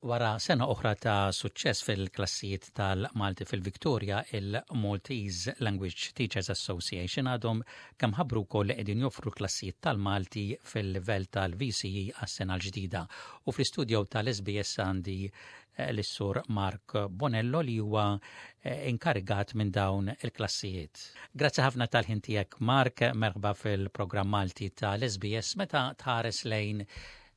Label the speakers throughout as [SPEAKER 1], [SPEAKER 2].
[SPEAKER 1] Wara sena oħra ta' suċċess fil-klassijiet tal-Malti fil-Victoria, il-Maltese Language Teachers Association għadhom kemm ħabbru wkoll li qegħdin joffru klassijiet tal-Malti fil-livell tal-VCE għas-sena l-ġdida. U fl-istudio tal-SBS għandi eh, l-sur Mark Bonello li huwa eh, inkarigat minn dawn il-klassijiet. Grazzi ħafna tal-ħin tiegħek Mark, merħba fil-programm Malti tal-SBS meta tħares lejn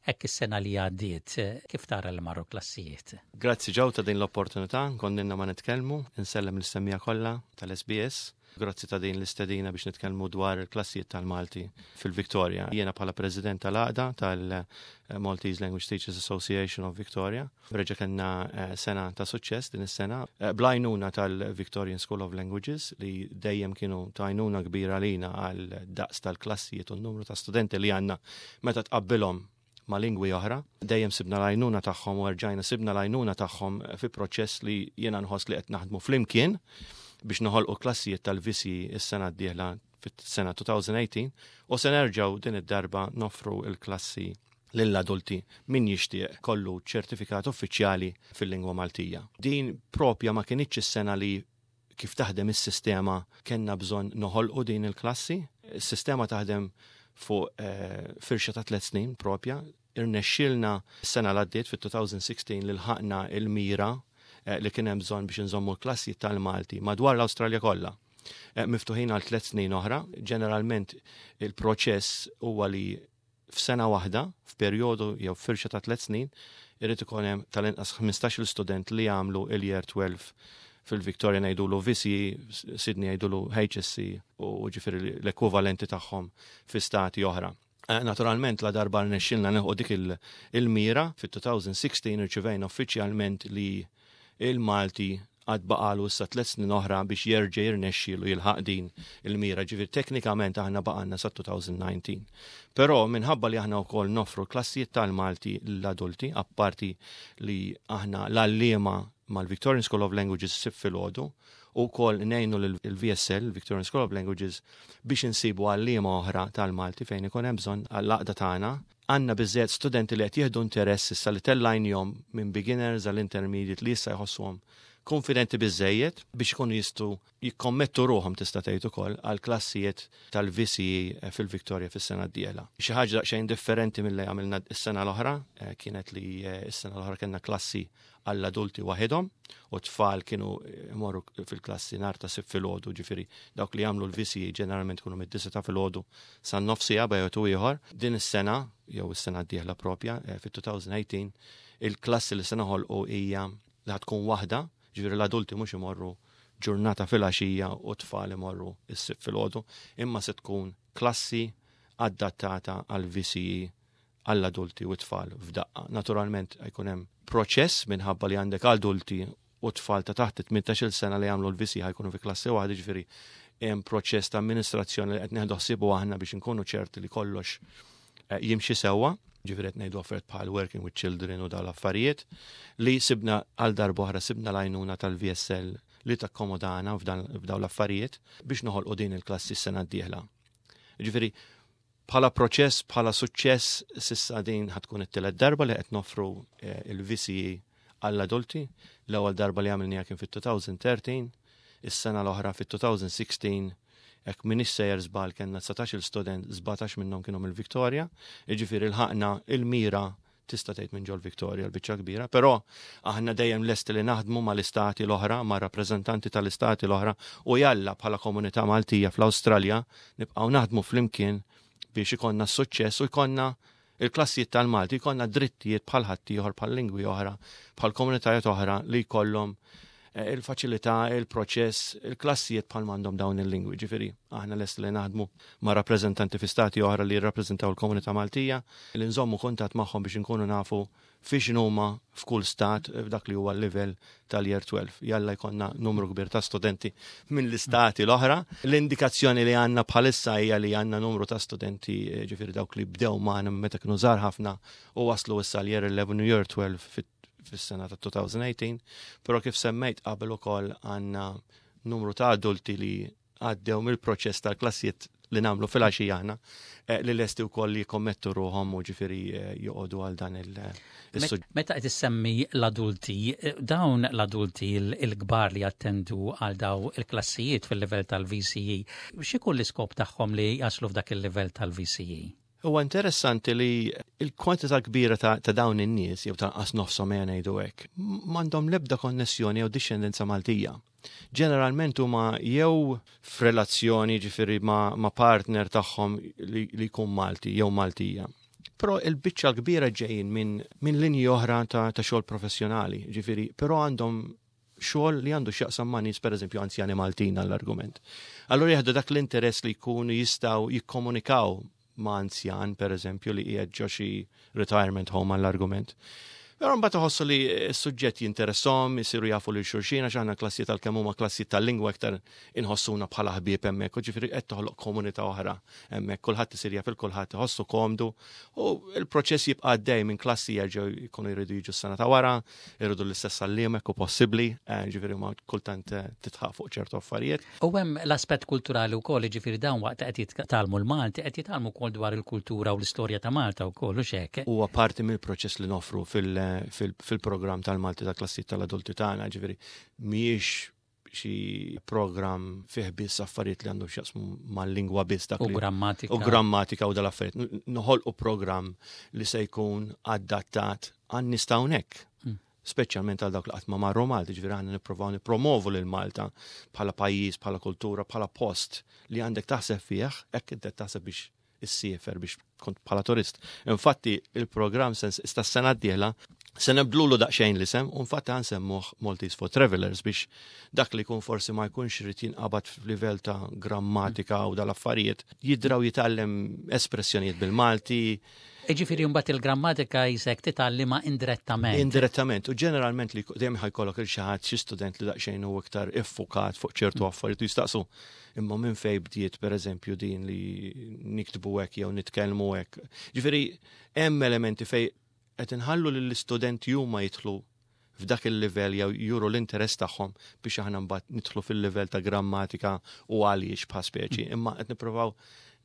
[SPEAKER 1] Hekk is-sena li għaddiet, kif tara li marru klassijiet?
[SPEAKER 2] Grazzi Joe ta' din l-opportunità, konnilna ma nitkellmu, insellem lis-semmiegħa kollha tal-SBS. Grazzi ta' din l-istedina biex nitkellmu dwar il-klassijiet tal-Malti fil-Victoria. Jiena bħala President tal-Għaqda tal-Maltese Language Teachers Association of Victoria, reġa' kellna eh, sena ta' suċċess din is-sena eh, bl-għajnuna tal-Victorian School of Languages li dejjem kienu ta' għajnuna kbira lina għal daqs tal-klassijiet u n-numru ta' studenti li għandna meta tqabbilhom ma' lingwi oħra. Dejjem sibna l-għajnuna tagħhom u rġajna sibna l-għajnuna tagħhom fi proċess li jiena nħoss li qed naħdmu flimkien biex noħolqu klassijiet tal-VC is-sena d-dieħla fis-sena 2018 u se nerġgħu din id-darba noffru l-klassi lill-adulti min jixtieq kollu ċertifikat uffiċjali fil-lingwa Maltija. Din propja ma kinitx is-sena li kif taħdem is-sistema kellna bżonn noħolqu din il-klassi. Is-sistema taħdem fuq eh, firxa ta' tliet snin propja. Irnexxielna s-sena l-għaddiet fit-2016 li lħaqna il-mira eh, li kien hemm bżonn biex inżommu l-klassi tal-Malti madwar l-Awstralja kollha. Eh, miftuħin għal tliet snin oħra. Ġeneralment il-proċess huwa li f'sena waħda, f'perjodu jew firxa ta' tliet snin, irid ikun hemm tal-inqas 15-il student li jagħmlu il-year 12 fil-Victoria ngħidulu VC, Sydney jgħidulu HSC u ġifieri l-ekwivalenti tagħhom fi stati oħra. Eh, naturalment la darba rnexxilna neħu dik il-mira fit-2016 irċivejna uffiċjalment li il-Malti għad baqalu issa tlet snin oħra biex jerġa' jirnexxielu jilħaq din il-mira. Ġifieri teknikament aħna baqalna sa 2019. Però minħabba li aħna wkoll noffru klassijiet tal-Malti l-adulti, apparti li aħna l-għalliema mal-Victorian School of Languages sib filgħodu u wkoll ngħinu l-VSL, Victorian School of Languages, biex insibu għalliema oħra tal-Malti fejn ikun hemm bżonn għall-għaqda tagħna Għandna biżżejjed studenti li qed jieħdu interess issa li tellajnihom minn beginners għal intermediate li issa jħossuhom konfidenti biżżejjed biex ikunu jistgħu jikkommettu ruħhom tista' tgħid ukoll għal klassijiet tal-VCE fil-Victoria fis-sena d-dieħla. Xi ħaġa daqsxejn differenti milli għamilna s-sena l-oħra eh, kienet li eh, s-sena l-oħra kellna klassi għall-adulti waħedhom u tfal kienu imorru fil-klassi nar ta' sib filgħodu, ġifieri dawk li jagħmlu l-VCE ġeneralment kienu mid-disa ta' filgħodu sa nofsija bejgħu ieħor. Din is-sena jew is-sena d-dieħla propja eh, fit-2018 il-klassi li se noħolqu hija li tkun waħda, ġifieri l-adulti mhux imorru ġurnata fil-għaxija u tfal imorru s-sib filgħodu, imma se tkun klassi adattata għal VCE għall-adulti u t-tfal f'daqqa. Naturalment jkun hemm proċess minħabba li għandek adulti u tfal ta' taħt 18-il sena li jagħmlu l-VC ħajkunu fi klassi waħda ġifieri hemm proċess ta' amministrazzjoni li qed nieħdu ħsiebu aħna biex inkunu ċerti li kollox eh, jimxi sewwa ġifieri qed ngħidu affarijiet bħal working with children u dawn l-affarijiet li sibna għal darb'oħra sibna l-għajnuna tal-VSL li takkomodana f'dawn l-affarijiet biex noħolqu din il-klassi s-sena d-dieħla. Ġifieri Bħala proċess, bħala suċċess, s'issa din ħa tkun it-tielet darba li qed noffru eh, il-VCE għall-adulti. L-ewwel darba li għamilniha kien fit-2013, is-sena l-oħra fit-2016 hekk minix sejjer żball kellna 19 student, 17 minnhom kienu mill-Victoria, jiġifieri lħaqna il-mira tista' tgħid minn ġol Victoria l-biċċa kbira, però aħna dejjem lesti li naħdmu mal-istati l-oħra, ma' rappreżentanti tal-istati l-oħra u jalla bħala komunità Maltija fl-Awstralja nibqgħu naħdmu flimkien biex ikollna s-suċċess u jkollna il-klassijiet tal-Malti, jkollna drittijiet bħal ħaddieħor, bħal lingwi oħra, bħal komunitajiet oħra li jkollhom eh, il-faċilità, il-proċess, il-klassijiet bħal m'għandhom dawn il-lingwi. Ġifieri, aħna lest li naħdmu ma' rappreżentanti fi stati oħra li jirrappreżentaw il-komunità Maltija, li nżommu kuntatt magħhom biex inkunu nafu fiex huma f'kull stat f'dak li huwa l-livell tal-year 12. Jalla jkollna numru kbir ta' studenti mill-istati l-oħra. L-indikazzjoni li għandna bħalissa hija li għandna numru ta' studenti eh, ġifieri dawk li bdew magħna meta kienu żgħar ħafna u waslu issa l-year 11 u year 12 fis-sena ta' 2018, però kif semmejt qabel ukoll għandna numru ta' adulti li għaddew mill-proċess tal-klassijiet li nagħmlu fil-għaxija aħna eh, li lesti wkoll li jikkommettu ruħhom u ġifieri eh, joqogħdu għal dan il-suġġett.
[SPEAKER 1] Meta qed issemmi l-adulti, eh, dawn l-adulti l-kbar li jattendu għal daw il-klassijiet fil-livell tal-VCE, x'ikun l-iskop tagħhom li jaslu f'dak il-livell tal-VCE?
[SPEAKER 2] Huwa interessanti li l-kwantità kbira ta', ta dawn in-nies jew tanqas nofshom ejja ngħidu hekk, m'għandhom l-ebda konnessjoni jew dixxendenza Maltija. Ġeneralment huma jew f'relazzjoni ġifieri ma', ma partner tagħhom li, li jkun Malti jew Maltija. Però il-biċċa kbira ġejjin minn min linji oħra ta', ta' xogħol professjonali, ġifieri, però għandhom xogħol li għandu x'jaqsam ma' nies pereżempju anzjani Maltin għall-argument. Allura jieħdu dak l-interess li jkunu jistgħu jikkomunikaw ma' anzjan pereżempju li qiegħed ġo xi retirement home għall-argument. Però mbagħad iħossu li s-suġġett jinteresshom, isiru jafu lil xulxin għax aħna klassijiet għalkemm huma klassijiet tal-lingwa iktar inħossuna bħala ħbieb hemmhekk, u ġifieri qed toħloq komunità oħra hemmhekk, kulħadd isir jaf il kulħadd iħossu komdu u l-proċess jibqa' għaddej minn klassi jerġgħu jkunu jridu jiġu s-sena ta' wara, irridu l-istess għalliem hekk hu possibbli, eh, ġifieri ma kultant eh, titħaq fuq ċertu affarijiet.
[SPEAKER 1] U hemm l-aspett kulturali wkoll, jiġifieri dawn waqt li qed jitgħallmu l-Malti qed jitgħallmu wkoll dwar il-kultura u l-istorja ta' Malta wkoll u x'hekk.
[SPEAKER 2] Huwa parti mill-proċess li noffru fil-programm tal-Malti ta' klassijiet tal-adulti tagħna, ġifieri mhijiex xi programm fih biss affarijiet li għandhom x'jaqsmu mal-lingwa biss
[SPEAKER 1] dak U grammatika.
[SPEAKER 2] U grammatika u dal-affarijiet. Noħolqu programm li se jkun adattat għan-nies ta' hawnhekk. Speċjalment għal dawk li qatt ma marru Malta, ġifieri aħna nipprovaw nippromovu lil Malta bħala pajjiż, bħala kultura, bħala post li għandek taħseb fih, hekk inti taħseb biex issiefer biex kont bħala turist. Infatti il-programm sens sta sena d-dieħla se nibdlulu daqsxejn l-isem u infatti ħansemmuh Maltese for Travelers biex dak li jkun forsi ma jkunx irid jinqabad f'livell ta' grammatika u dal-affarijiet jidraw jitgħallem espressjonijiet bil-Malti.
[SPEAKER 1] Jiġifieri mbagħad il-grammatika jisek titgħallimha indirettament.
[SPEAKER 2] Indirettament, u ġeneralment li dejjem ħajkollok il xi ħadd xi student li daqsxejn hu iktar iffukat fuq ċertu affarijiet u jistaqsu imma minn fejn bdiet pereżempju din li niktbu hekk jew nitkellmu hekk. Ġifieri hemm elementi fejn qed inħallu lill-istudenti huma jidħlu f'dak il-livell jew juru l-interess tagħhom biex aħna mbagħad nidħlu fil-livell ta' grammatika u għaliex bħal speċi. Mm. Imma qed nippruvaw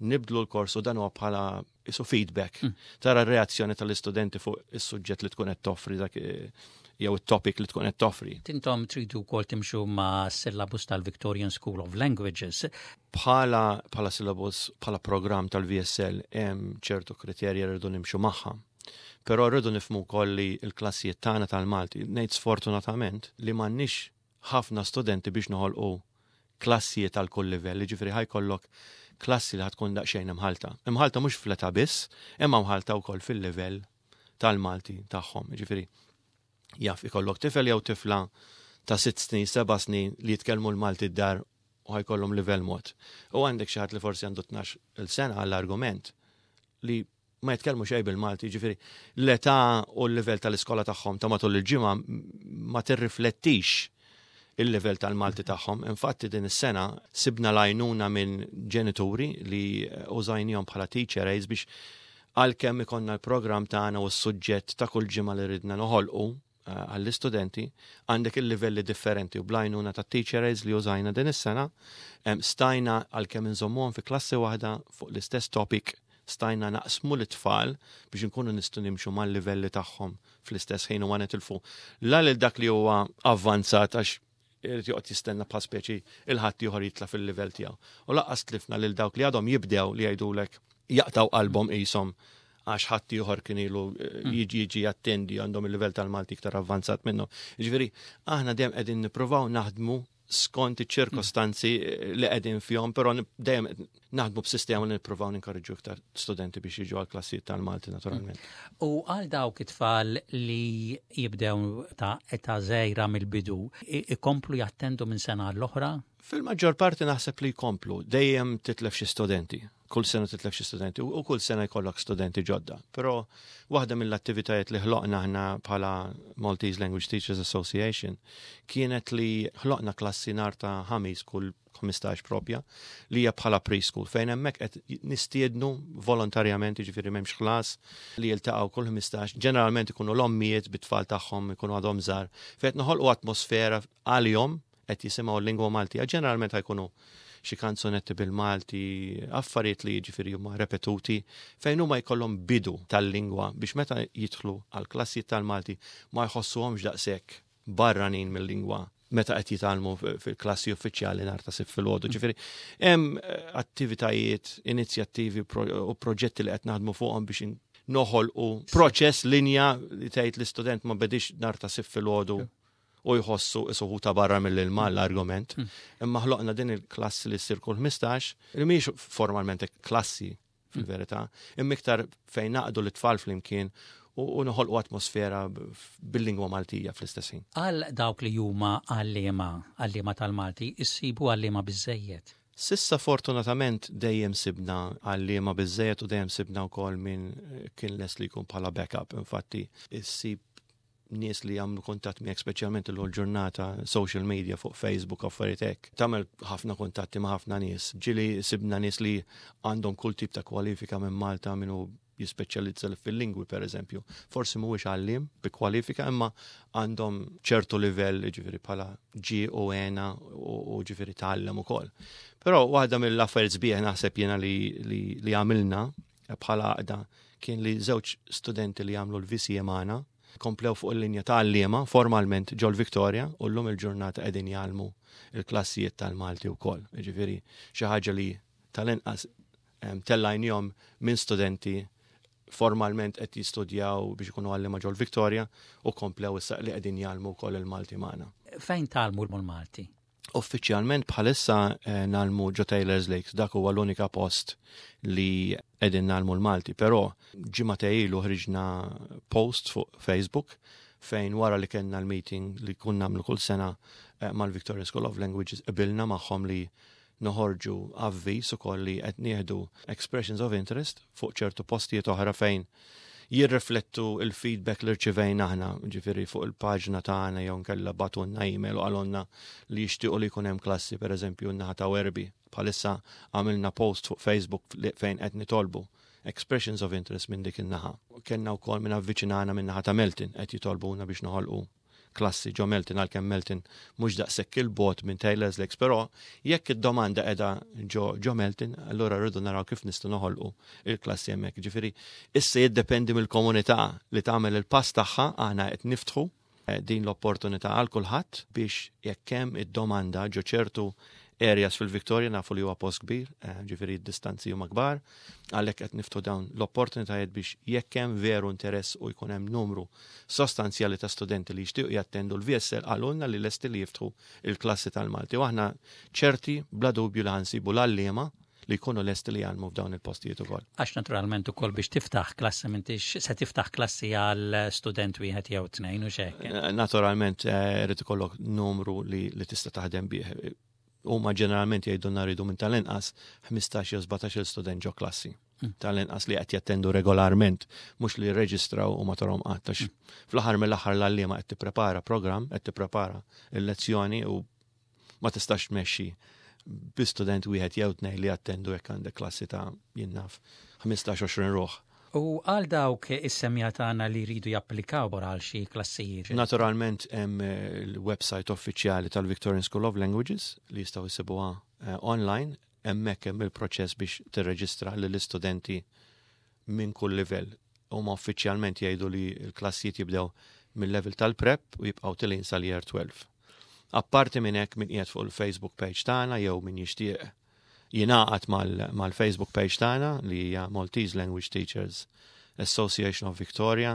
[SPEAKER 2] nibdlu l-kors u dan huwa bħala isu feedback. Mm. Tara r-reazzjoni tal-istudenti fuq is-suġġett li tkun qed toffri dak eh, jew it-topic li tkun qed toffri.
[SPEAKER 1] Tintom tridu wkoll timxu ma' syllabus tal-Victorian School of Languages.
[SPEAKER 2] Bħala bħala syllabus, bħala programm tal-VSL hemm ċertu kriterji rridu nimxu magħha. Però rridu nifhmu wkoll li l-klassijiet tagħna tal-Malti, ngħid sfortunatament li m'għandniex ħafna studenti biex noħolqu klassijiet għal kull livell, jiġifieri ħa jkollok klassi li ħa tkun daqsxejn imħallta. Imħallta mhux fl-età biss, imma mħallta wkoll fil-livell tal-Malti tagħhom. Jiġifieri jaf ikollok tifel jew tifla ta' sitt snin, seba' snin li jitkellmu l-Malti d-dar u ħajkollhom livell mod. U għandek xi ħadd li forsi għandu 12 sena għall-argument li ma jitkellmu xejn bil-Malti, jiġifieri l-età u l-livell tal-iskola tagħhom ta' matul il-ġimgħa ma tirriflettix il-livell tal-Malti tagħhom. Infatti din is-sena sibna l-għajnuna minn ġenituri li użajnihom bħala teacher aids biex għalkemm ikollna l-programm tagħna u s-suġġett ta' kull ġimgħa li ridna noħolqu, Eh, għall-istudenti, għandek il-livelli differenti u blajnuna ta' teacher aids li użajna din is-sena, stajna għalkemm inżommuhom fi klassi waħda fuq l-istess topic, stajna naqsmu l-tfal biex nkunu nistgħu nimxu mal-livelli tagħhom fl-istess ħin u ma nitilfu la lil dak li huwa avvanzat għax irid joqgħod jistenna bħal speċi il-ħadd ieħor jitla' fil-livell tiegħu. U laqqas tlifna lil dawk li għadhom jibdew li jgħidulek jaqtaw qalbhom qishom għax ħadd ieħor kien ilu eh, hmm. jiġi jiġi jattendi għandhom il-livell tal-Malti iktar avvanzat minnu. Jiġifieri aħna dejjem qegħdin nippruvaw naħdmu skont iċ-ċirkostanzi eh, li qegħdin fihom, però dejjem naħdmu b'sistema li nippruvaw ninkoraġġu iktar studenti biex jiġu għal klassijiet tal-Malti naturalment.
[SPEAKER 1] Hmm. U għal dawk it-tfal li jibdew ta' età żgħira mill-bidu, ikomplu jattendu minn sena l-oħra?
[SPEAKER 2] Fil-maġġor parti naħseb li jkomplu, dejjem titlef xi studenti kull sena titlef xi studenti u kull sena jkollok studenti ġodda. Però waħda mill-attivitajiet li ħloqna aħna bħala Maltese Language Teachers Association kienet li ħloqna klassi nar ta' ħamis kull 15 propja li hija bħala preschool fejn hemmhekk qed nistiednu volontarjament jiġifieri m'hemmx ħlas li jiltaqgħu kull 15 ġeneralment ikunu l-ommijiet bit-tfal tagħhom ikunu għadhom żgħar fejn qed noħolqu atmosfera għalihom qed jisimgħu l-lingwa Maltija ġeneralment ħajkunu xi kanzunetti bil-Malti, affarijiet li jiġifieri huma repetuti fejn huma jkollhom bidu tal-lingwa biex meta jidħlu għal klassijiet tal-Malti ma jħossuhomx daqshekk barranin mill-lingwa meta qed jitgħallmu fil-klassi uffiċjali nhar ta' Sibt filgħodu. Ġifieri hemm attivitajiet, inizjattivi u proġetti li qed naħdmu fuqhom biex noħolqu proċess linja li tgħid l-istudent ma bedix nhar ta' Sibt filgħodu u jħossu isuħu ta' barra mill-ilma l-argument. Imma ħloqna din il-klassi li ssir kull 15, li mhijiex formalment klassi fil-verità, imma iktar fejn naqdu l-tfal flimkien u noħolqu atmosfera bil-lingwa Maltija fl-istess ħin.
[SPEAKER 1] Għal dawk li huma għalliema, għalliema tal-Malti, issibu għalliema biżejjed?
[SPEAKER 2] S'issa fortunatament dejjem sibna għalliema biżejjed u dejjem sibna wkoll min kien lest li jkun bħala backup. Infatti, issib nies li jagħmlu kuntatt miegħek speċjalment illum ġurnata social media fuq Facebook affarijiet hekk. Tagħmel ħafna kuntatti ma' ħafna nies. Ġieli sibna nies li għandhom kull tip ta' kwalifika minn Malta minnu jispeċjalizza fil-lingwi per eżempju. Forsi mhuwiex għalliem bi kwalifika imma għandhom ċertu livell ġifieri bħala ġi u għena u ġifieri tgħallem ukoll. Però waħda mill-affarijiet sbieħ naħseb jiena li, li, li għamilna bħala għaqda kien li żewġ studenti li għamlu l-VCA magħna komplew fuq il-linja ta' għalliema formalment ġol Victoria u llum il-ġurnata qegħdin jgħallmu il-klassijiet tal-Malti wkoll. Ġifieri xi ħaġa li tal-inqas tellajnihom minn studenti formalment qed jistudjaw biex ikunu għalliema ġol Victoria u komplew issa li qegħdin jgħallmu wkoll il-Malti magħna.
[SPEAKER 1] Fejn tgħallmu l-Malti?
[SPEAKER 2] Uffiċjalment bħalissa eh, nagħlmu ġo Taylor's Lakes, dak huwa l-unika post li qegħdin nagħlmu l-Malti, però ġimgħa ilu ħriġna post fuq Facebook fejn wara li kellna l-meeting li kun nagħmlu kull sena eh, mal-Victoria School of Languages qbilna magħhom li noħorġu avviż ukoll li qed nieħdu expressions of interest fuq ċertu postijiet oħra fejn jirriflettu il-feedback li rċivejna aħna, ġifieri fuq il-paġna tagħna jew nkella bagħtulna email u qalulna li jixtiequ li jkun hemm klassi, pereżempju n-naħa ta' Werby. Bħalissa għamilna post fuq Facebook fejn qed nitolbu expressions of interest minn dik in-naħa. Kellna wkoll minn avviċinana minn naħa ta' Melton qed jitolbuna biex noħolqu klassi ġo Melton għalkemm Melton mhux daqshekk il-bogħod minn Taylor's Lakes, però jekk id-domanda qiegħda ġo ġo Melton, allura rridu naraw kif nistgħu noħolqu il-klassi hemmhekk. Ġifieri issa jiddependi mill-komunità li tagħmel il-pass tagħha aħna qed niftħu eh, din l-opportunità għal kulħadd biex jekk hemm id-domanda ġo ċertu areas fil-Victoria nafu li huwa post kbir, eh, ġifieri d-distanzi huma kbar, għalhekk qed niftu dawn l-opportunitajiet biex jekk hemm veru interess u jkun hemm numru sostanzjali ta' studenti li jixtiequ jattendu l-VSL qalulna li lesti li jiftħu il-klassi tal-Malti. U aħna ċerti bla dubju li ħansibu l-għalliema li jkunu lesti li jgħallmu f'dawn il-postijiet ukoll.
[SPEAKER 1] Għax naturalment ukoll biex tiftaħ klassi m'intix se tiftaħ klassi għal student wieħed jew tnejn u x'hekk.
[SPEAKER 2] Eh, naturalment eh, irid ikollok numru li, li tista' taħdem bih. Huma ġeneralment jgħidulna rridu minn tal-inqas 15 jew 17 student ġo klassi. Tal-inqas li qed jattendu regolarment, mhux li jirreġistraw u ma tarhom qatt għax mm. fl-aħħar mill-aħħar l-għalliema qed tipprepara programm, qed tipprepara l-lezzjoni u ma tistax tmexxi bi student wieħed jew tnejn li jattendu jekk għandek klassi ta' jinnaf 15-20 ruħ.
[SPEAKER 1] U għal dawk is-semja tagħna li jridu japplikaw għal xi klassijiet.
[SPEAKER 2] Naturalment hemm eh, il-website uffiċjali tal-Victorian School of Languages li jistgħu jsibuha eh, online, hemmhekk hemm il-proċess biex tirreġistra lill-istudenti minn kull livell. Huma uffiċjalment jgħidu li l-klassijiet jibdew mill-level tal-prep u jibqgħu tilin sal-year 12. Apparti minn hekk min qiegħed fuq il-Facebook page tagħna jew min jixtieq jingħaqad mal-Facebook page tagħna li hija Maltese Language Teachers Association of Victoria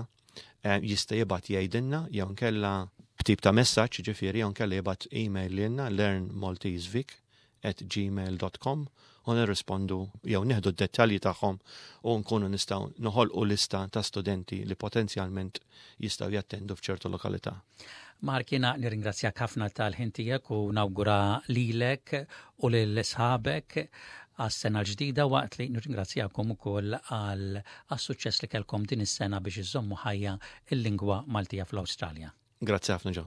[SPEAKER 2] eh, jista' jibgħat jgħidilna jew nkella b'tip ta' messaġġ ġifieri jew nkella jibgħat email lilna learnmaltesevic at gmail dot com u nirrispondu jew nieħdu d-dettalji tagħhom u nkunu nistgħu noħolqu lista ta' studenti li potenzjalment jistgħu jattendu f'ċertu lokalità.
[SPEAKER 1] Mark, jiena nirringrazzjak ħafna tal-ħin tiegħek u nawgura lilek u lil sħabek għas-sena l-ġdida waqt li nirringrazzjakom ukoll għal għas-suċċess li kellkom din is-sena biex iżommu ħajja il-lingwa Maltija fl-Awstralja.
[SPEAKER 2] Grazzi ħafna ġo.